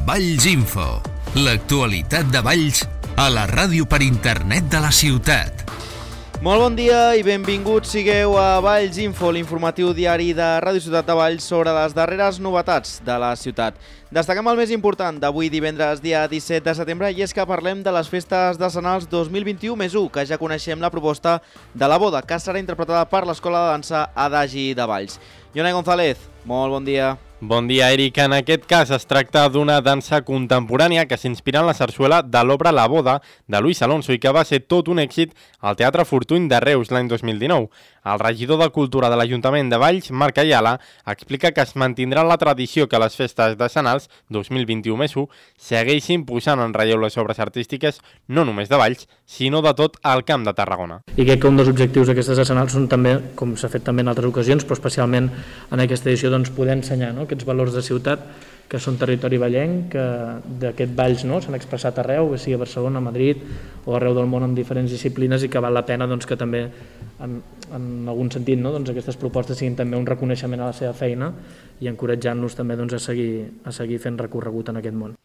Valls Info, l'actualitat de Valls a la ràdio per internet de la ciutat. Molt bon dia i benvinguts sigueu a Valls Info, l'informatiu diari de Ràdio Ciutat de Valls sobre les darreres novetats de la ciutat. Destaquem el més important d'avui divendres dia 17 de setembre i és que parlem de les festes decennals 2021+1, que ja coneixem la proposta de la boda, que serà interpretada per l'Escola de Dansa Adagi de Valls. Jonai González, molt bon dia. Bon dia, Eric. En aquest cas es tracta d'una dansa contemporània que s'inspira en la sarsuela de l'obra La boda de Luis Alonso i que va ser tot un èxit al Teatre Fortuny de Reus l'any 2019. El regidor de Cultura de l'Ajuntament de Valls, Marc Ayala, explica que es mantindrà la tradició que les festes decennals 2021+1 segueixin posant en relleu les obres artístiques no només de Valls, sinó de tot el Camp de Tarragona. I crec que un dels objectius d'aquestes decennals són també, com s'ha fet també en altres ocasions, però especialment en aquesta edició, poder ensenyar aquests valors de ciutat que són territori vallenc, que d'aquest Valls s'han expressat arreu, que sigui a Barcelona, a Madrid o arreu del món en diferents disciplines i que val la pena que també en algun sentit aquestes propostes siguin també un reconeixement a la seva feina i encoratjant-los també a seguir fent recorregut en aquest món.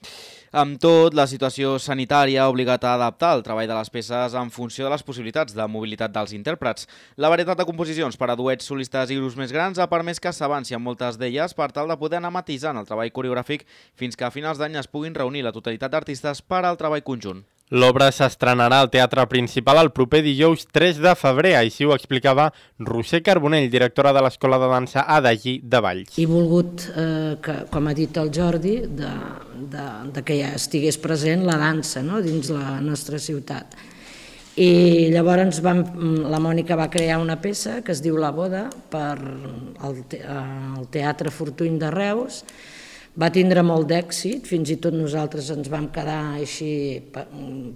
Amb tot, la situació sanitària ha obligat a adaptar el treball de les peces en funció de les possibilitats de mobilitat dels intèrprets. La varietat de composicions per a duets, solistes i grups més grans ha permès que s'avanci en moltes d'elles per tal de poder anar matisant el treball coreogràfic fins que a finals d'any es puguin reunir la totalitat d'artistes per al treball conjunt. L'obra s'estrenarà al Teatre Principal el proper dijous 3 de febrer, així ho explicava Roser Carbonell, directora de l'Escola de Dansa Adagi de Valls. He volgut, com ha dit el Jordi, que ja estigués present la dansa dins la nostra ciutat. I llavors la Mònica va crear una peça que es diu La boda per al Teatre Fortuny de Reus. Va tindre molt d'èxit, fins i tot nosaltres ens vam quedar així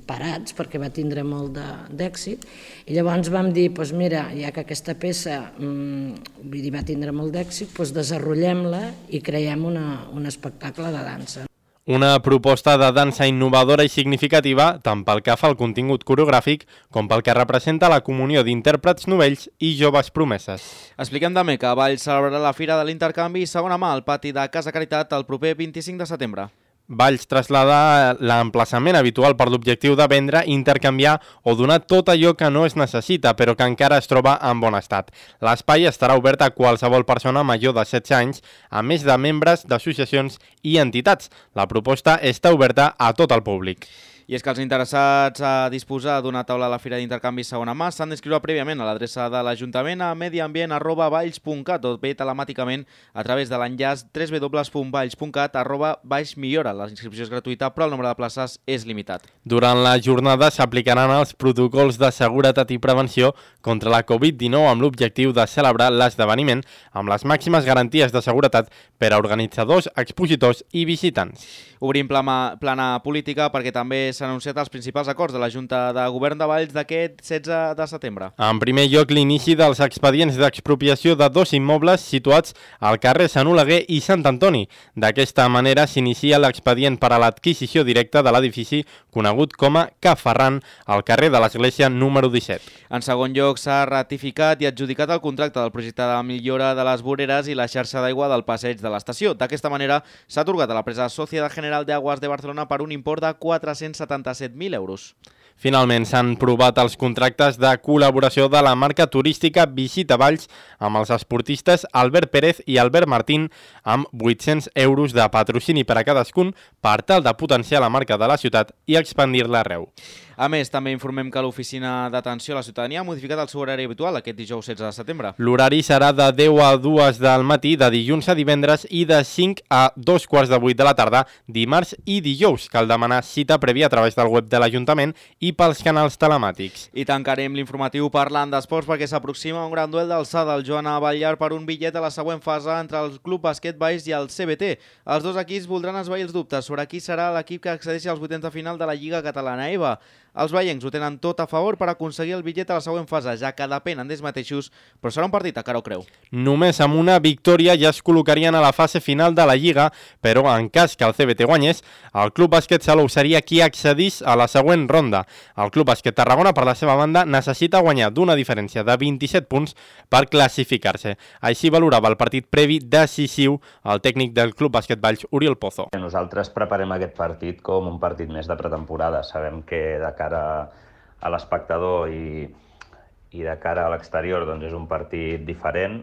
parats perquè va tindre molt d'èxit i llavors vam dir, mira, ja que aquesta peça va tindre molt d'èxit, desenvolupem-la i creem un espectacle de dansa. Una proposta de dansa innovadora i significativa tant pel que fa al contingut coreogràfic com pel que representa la comunió d'intèrprets novells i joves promeses. Expliquem també que Valls celebrarà la Fira de l'Intercanvi segona mà al pati de Casa Caritat el proper 25 de setembre. Valls traslada l'emplaçament habitual per l'objectiu de vendre, intercanviar o donar tot allò que no es necessita però que encara es troba en bon estat. L'espai estarà obert a qualsevol persona major de 16 anys, a més de membres d'associacions i entitats. La proposta està oberta a tot el públic. I és que els interessats a disposar d'una taula a la Fira d'Intercanvi segona mà s'han d'inscriure prèviament a l'adreça de l'Ajuntament a mediambient@valls.cat o bé telemàticament a través de l'enllaç www.valls.cat/millora. La inscripció és gratuïta però el nombre de places és limitat. Durant la jornada s'aplicaran els protocols de seguretat i prevenció contra la Covid-19 amb l'objectiu de celebrar l'esdeveniment amb les màximes garanties de seguretat per a organitzadors, expositors i visitants. Obrim plana política perquè també s'han anunciat els principals acords de la Junta de Govern de Valls d'aquest 16 de setembre. En primer lloc, l'inici dels expedients d'expropiació de 2 immobles situats al carrer Sant Oleguer i Sant Antoni. D'aquesta manera s'inicia l'expedient per a l'adquisició directa de l'edifici conegut com a Ca Ferran al carrer de l'Església número 17. En segon lloc, s'ha ratificat i adjudicat el contracte del projecte de millora de les voreres i la xarxa d'aigua del passeig de l'estació. D'aquesta manera, s'ha atorgat a l'empresa Sociedad General de Aguas de Barcelona per un import de 477.000 euros. Finalment s'han provat els contractes de col·laboració de la marca turística Visita Valls amb els esportistes Albert Pérez i Albert Martín amb 800 euros de patrocini per a cadascun per tal de potenciar la marca de la ciutat i expandir-la arreu. A més, també informem que l'Oficina d'Atenció a la Ciutadania ha modificat el seu horari habitual aquest dijous 16 de setembre. L'horari serà de 10 a 2 del matí, de dilluns a divendres i de 5 a 2:15 de la tarda, dimarts i dijous. Cal demanar cita prèvia a través del web de l'Ajuntament i pels canals telemàtics. I tancarem l'informatiu parlant d'esports perquè s'aproxima un gran duel d'alçada al Joan Batllar per un bitllet a la següent fase entre el Club Bàsquet Valls i el CBT. Els dos equips voldran esvair els dubtes sobre qui serà l'equip que accedeixi als vuitens de final de la Lliga Catalana EVA. Els vallencs ho tenen tot a favor per aconseguir el bitllet a la següent fase, ja que depenen d'ells mateixos, però serà un partit a cara o creu. Només amb una victòria ja es col·locarien a la fase final de la Lliga, però en cas que el CBT guanyés, el Club Bàsquet Salou seria qui accedís a la següent ronda. El Club Bàsquet Tarragona, per la seva banda, necessita guanyar d'una diferència de 27 punts per classificar-se. Així valorava el partit previ decisiu el tècnic del Club Bàsquet Valls, Oriol Pozo. Nosaltres preparem aquest partit com un partit més de pretemporada. Sabem que de cara a l'espectador i de cara a l'exterior doncs és un partit diferent,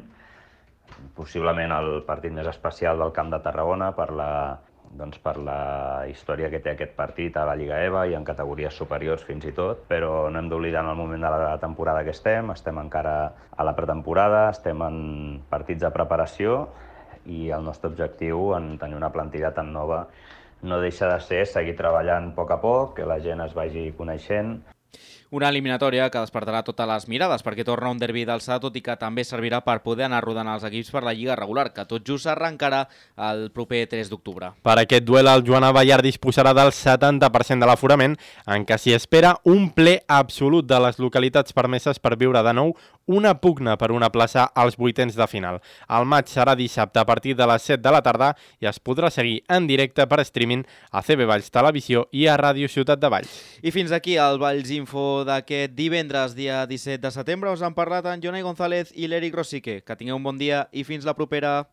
possiblement el partit més especial del Camp de Tarragona per la història que té aquest partit a la Lliga EVA i en categories superiors fins i tot, però no hem d'oblidar en el moment de la temporada que estem encara a la pretemporada, estem en partits de preparació i el nostre objectiu en tenir una plantilla tan nova no deixa de ser seguir treballant a poc, que la gent es vagi coneixent. Una eliminatòria que despertarà totes les mirades perquè torna un derbi d'alçada, tot i que també servirà per poder anar rodant els equips per la Lliga regular, que tot just s'arrencarà el proper 3 d'octubre. Per aquest duel, el Joan Abellar disposarà del 70% de l'aforament, en què s'hi espera un ple absolut de les localitats permeses per viure de nou una pugna per una plaça als vuitens de final. El maig serà dissabte a partir de les 7 de la tarda i es podrà seguir en directe per streaming a CB Valls Televisió i a Ràdio Ciutat de Valls. I fins aquí el Valls Info d'aquest divendres, dia 17 de setembre. Us han parlat en Jonai González i l'Eric Rosique. Que tingueu un bon dia i fins la propera.